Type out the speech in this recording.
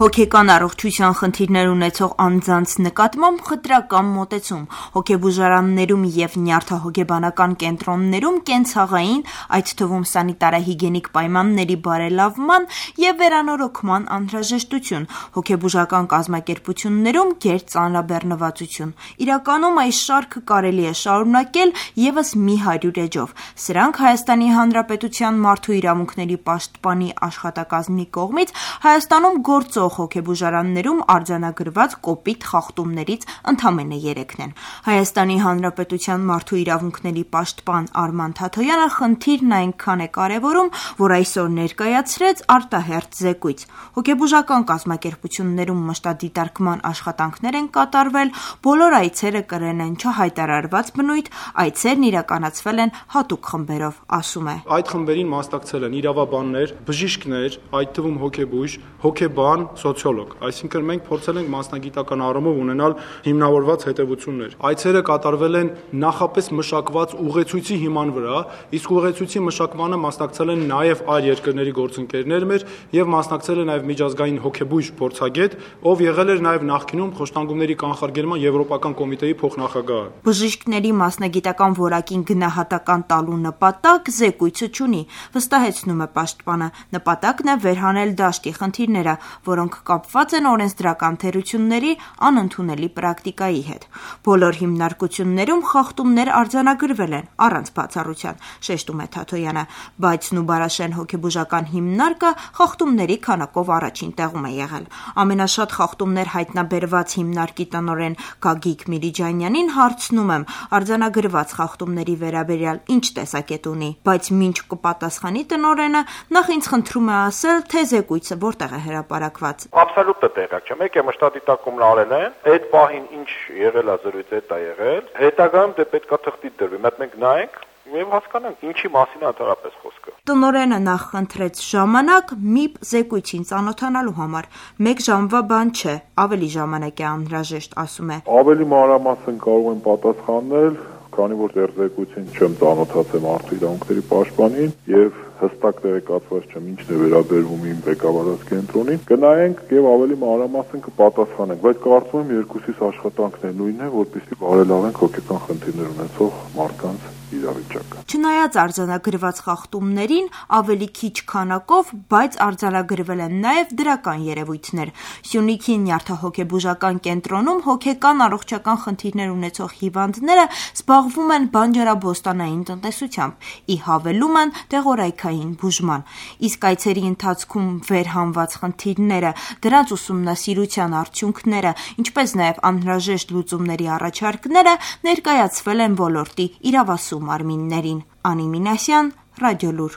Հոգեկան առողջության խնդիրներ ունեցող անձանց նկատմամբ խտրական մոտեցում, հոգեբուժարաններում և նյարդահոգեբանական կենտրոններում կենցաղային, այդ թվում սանիտարահիգիենիկ պայմանների բարելավման և վերանորոգման անհրաժեշտություն, հոգեբուժական կազմակերպություններում գերծանրաբեռնվածություն։ Իրականում այս շարքը կարելի է շարունակել ևս մի 100 էջով։ Սրանք Հայաստանի Հանրապետության Մարդու իրավունքների պաշտպանի աշխատակազմի կողմից Հայաստանում գործող հոգեբուժարաններում արձանագրված կոպիտ խախտումներից ընդամենը 3-ն են։ Հայաստանի Հանրապետության Մարդու իրավունքների պաշտպան Արման Թաթոյանը խնդիրն այնքան է կարևորում, որ այսօր ներկայացրեց արտահերթ զեկույց։ Հոգեբուժական կազմակերպություններում մշտադիտարկման աշխատանքներ են կատարվել, բոլոր այցերը կրել են չհայտարարված բնույթ, այցերն իրականացվել են հատուկ խմբերով, ասում է։ Այդ խմբերին մասնակցել են իրավաբաններ, բժիշկներ, այդ թվում հոգեբույժ, հոգեբան, սոցիոլոգ, այսինքն մենք փորձել ենք մասնագիտական առումով ունենալ հիմնավորված հետևություններ։ Այցերը կատարվել են նախապես մշակված ուղեցույցի հիման վրա, իսկ ուղեցույցի մշակմանը մասնակցել են նաև այլ երկրների գործընկերներ մեր եւ մասնակցել է նաև միջազգային հոգեբույժ փորձագետ, ով եղել էր նաև նախկինում խոշտանգումների կանխարգելման Եվրոպական կոմիտեի փոխնախագահ։ Բժիշկների մասնագիտական որակին գնահատական տալու նպատակ զեկույցը չունի, վստահեցնում է պաշտպանը։ Նպատակն է վերհանել դաշտի խնդիրները, որոնք կապված են օրենսդրական թերությունների անընդունելի պրակտիկայի հետ։ Բոլոր հիմնարկություններում խախտումներ արձանագրվել են առանց բացառության, շեշտում է Թաթոյանը, բայց Նուբարաշեն հոգեբուժական հիմնարկը խախտումների քանակով առաջին տեղում է եղել։ Ամենաշատ խախտումներ հայտնաբերված հիմնարկի տնօրեն Գագիկ Միրիջանյանին հարցնում եմ, արձանագրված խախտումների վերաբերյալ ինչ տեսակետ ունի, բայց մինչ կպատասխանի տնօրենը, նախ ինձ խնդրում է ասել, թե զեկույցը որտեղ է հրապարակված։ Absolut տեղյակ չեմ, եկե մշտադիտարկումն արել են, այդ պահին ինչ եղել է զրույցը դա եղել, հետագայում դե պետքա թղթի դրվի, մենք նայենք եւ հասկանանք ինչի մասին է ընդհանրապես խոսքը։ Տնօրենը նախ խնդրեց ժամանակ ՄԻՊ զեկույցին ծանոթանալու համար։ 1 ժամվա բան չէ, ավելի ժամանակ է անհրաժեշտ, ասում է։ Ավելի մանրամասն կարող եմ պատասխանել, քանի որ դեռ զեկույցին չեմ ծանոթացել Մարդու իրավունքների պաշտպանին եւ հստակ տեղեկացված չեմ ինչն է վերաբերվում իմ ղեկավարած կենտրոնին, կնայենք եւ ավելի մանրամասն կպատասխանենք, բայց կարծում եմ երկուսիս աշխատանքն է նույնն է, որպեսզի բարելավենք հոգեկան խնդիրներ ունեցող մարդկանց իրավիճակը։ Չնայած արձանագրված խախտումներին ավելի քիչ քանակով, բայց արձանագրվել են նաև դրական երևույթներ։ Սյունիքի նյարդահոգեբուժական կենտրոնում հոգեկան առողջական խնդիրներ ունեցող հիվանդները զբաղվում են բանջարաբոստանային տնտեսությամբ, ի հավելումն տեղորայքային բուժման։ Իսկ այցերի ընթացքում վերհանված խնդիրները, դրանց ուսումնասիրության արդյունքները, ինչպես նաև անհրաժեշտ լուծումների առաջարկները ներկայացվել են ոլորտի իրավասու մարմիններին։ Անի Մինասյան, Ռադիոլուր։